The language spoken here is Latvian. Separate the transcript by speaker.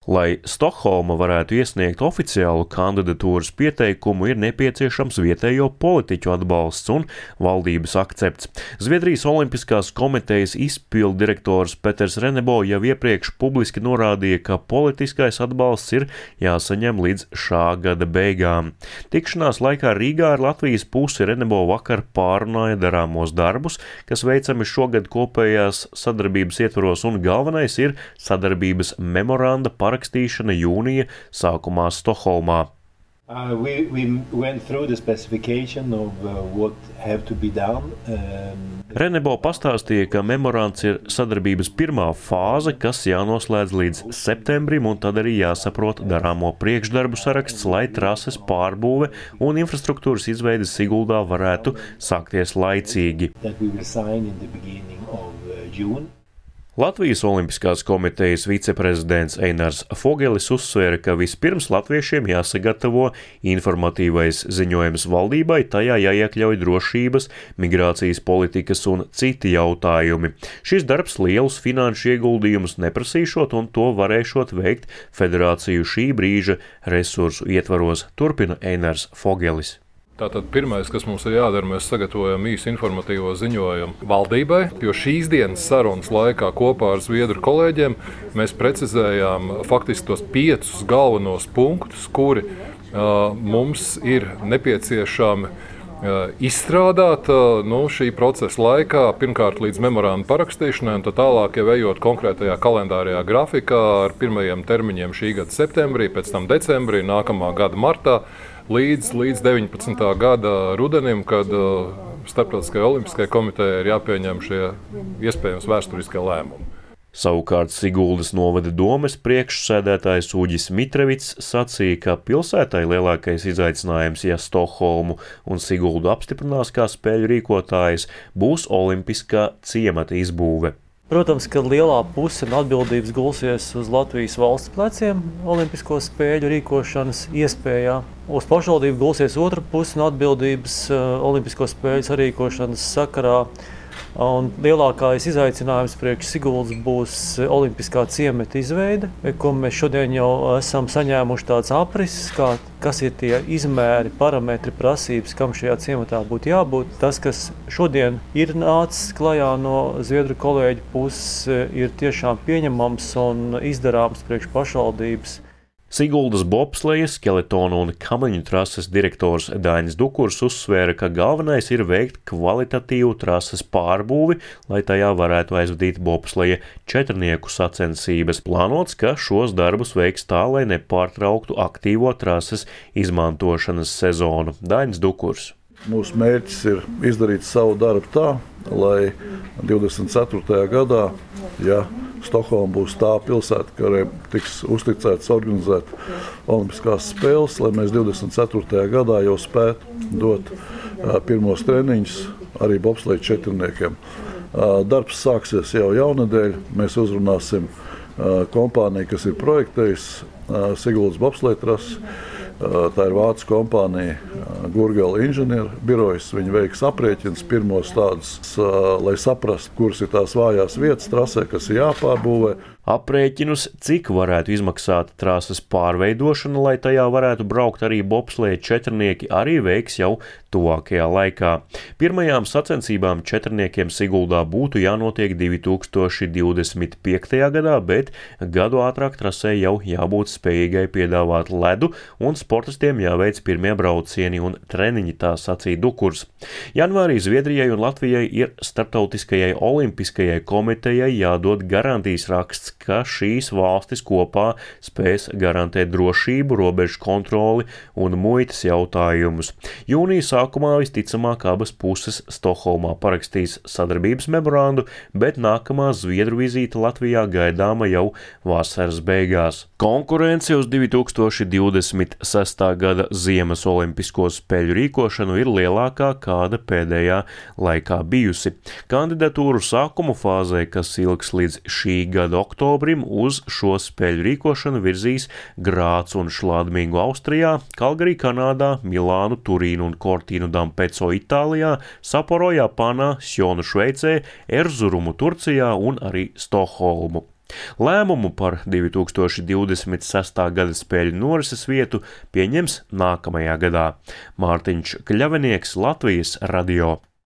Speaker 1: Lai Stokholma varētu iesniegt oficiālu kandidatūras pieteikumu, ir nepieciešams vietējo politiķu atbalsts un valdības akcepts. Zviedrijas Olimpiskās komitejas izpilddirektors Peters Renebo jau iepriekš publiski norādīja, ka politiskais atbalsts ir jāsaņem līdz šā gada beigām. Tikšanās laikā Rīgā ar Latvijas pusi Renebo vakar pārunāja darāmos darbus, kas veicami šogad kopējās sadarbības ietvaros, un galvenais ir sadarbības memoranda parakstīšana jūnija sākumā Stokholmā. Renebo pastāstīja, ka memorands ir sadarbības pirmā fāze, kas jānoslēdz līdz septembrim, un tad arī jāsaprot darāmo priekšdarbu saraksts, lai trases pārbūve un infrastruktūras izveide Siguldā varētu sākties laicīgi. Latvijas Olimpiskās komitejas viceprezidents Einars Fogelis uzsvēra, ka vispirms latviešiem jāsagatavo informatīvais ziņojums valdībai, tajā jāiekļauj drošības, migrācijas politikas un citi jautājumi. Šis darbs lielus finanšu ieguldījumus neprasīšot, un to varēšot veikt federāciju šī brīža resursu ietvaros, turpina Einars Fogelis.
Speaker 2: Tātad pirmais, kas mums ir jādara, mēs sagatavojam īsu informatīvo ziņojumu valdībai, jo šīs dienas sarunas laikā kopā ar zviedru kolēģiem mēs precizējām faktiski tos 5 galvenos punktus, kuri mums ir nepieciešami izstrādāt šī procesa laikā, pirmkārt līdz memoranda parakstīšanai, un tad tālāk jau ejot konkrētajā kalendārajā grafikā ar pirmajiem termiņiem šī gada septembrī, pēc tam decembrī, nākamā gada martā, līdz 19. gada rudenim, kad Starptautiskajai Olimpiskajai komitejai ir jāpieņem šie iespējams vēsturiskie lēmumi.
Speaker 1: Savukārt Siguldas novada domes priekšsēdētājs Uģis Mitrevits sacīja, ka pilsētai lielākais izaicinājums, ja Stokholmu un Siguldu apstiprinās kā spēļu rīkotājs, būs olimpiskā ciemata izbūve.
Speaker 3: Protams, ka lielā puse atbildības gulsies uz Latvijas valsts pleciem olimpisko spēļu rīkošanas iespējā. Uz pašvaldību gulsies otra puse no atbildības olimpisko spēļu sarīkošanas sakarā. Un lielākais izaicinājums priekš Siguldas būs olimpiskā ciemata izveide, ko mēs šodien jau esam saņēmuši tāds aprises, kas ir tie izmēri, parametri, prasības, kam šajā ciematā būtu jābūt. Tas, kas šodien ir nācis klajā no zviedru kolēģu puses, ir tiešām pieņemams un izdarāms priekš pašvaldības.
Speaker 1: Siguldas bobslejas, skeletonu un kamiņu trases direktors Dainis Dukurs uzsvēra, ka galvenais ir veikt kvalitatīvu trases pārbūvi, lai tajā varētu aizvadīt bobsleja četrnieku sacensības. Plānots, ka šos darbus veiks tā, lai nepārtrauktu aktīvo trases izmantošanas sezonu. Dainis Dukurs.
Speaker 4: Mūsu mērķis ir izdarīt savu darbu tā, lai 24. gadā, ja Stokholma būs tā pilsēta, kurai tiks uzticēts organizēt olimpiskās spēles, lai mēs 24. gadā jau spētu dot pirmos treniņus arī bobsleja četrniekiem. Darbs sāksies jau jaunadēļ. Mēs uzrunāsim kompāniju, kas ir projektējusi Siguldas bobsleja trasi. Tā ir vācu kompānija Gurgela inženieru birojas. Viņi veiks aprēķinus pirmos tādus, lai saprastu, kuras ir tās vājās vietas trasē, kas ir jāpārbūvē.
Speaker 1: Aprēķinus, cik varētu izmaksāt trases pārveidošana, lai tajā varētu braukt arī bobsleja četrnieki, arī veiks jau tuvākajā laikā. Pirmajām sacensībām četrniekiem Siguldā būtu jānotiek 2025. gadā, bet gadu ātrāk trasē jau jābūt spējīgai piedāvāt ledu, un sportistiem jāveic pirmie braucieni un treniņi, tā sacīja Dukurs. Janvārī Zviedrijai un Latvijai ir Starptautiskajai Olimpiskajai komitejai jādod garantijas raksts, ka šīs valstis kopā spēs garantēt drošību, robežu kontroli un muitas jautājumus. Jūnija sākumā visticamāk abas puses Stokholmā parakstīs sadarbības memorandu, bet nākamā zviedru vizīte Latvijā gaidāma jau vasaras beigās. Konkurence uz 2026. gada Ziemas olimpisko spēļu rīkošanu ir lielākā, kāda pēdējā laikā bijusi. Kandidatūru sākumu fāzē, kas ilgs līdz šī gada oktobrim, uz šo spēļu rīkošanu virzīs Grāts un Šladmingu Austrijā, Kalgarī Kanādā, Milānu, Turīnu un Cortinu d'Ampezzo Itālijā, Sapporo Japānā, Sjonu Šveicē, Erzurumu Turcijā un arī Stokholmu. Lēmumu par 2026. gada spēļu norises vietu pieņems nākamajā gadā. Mārtiņš Kļavinieks, Latvijas radio.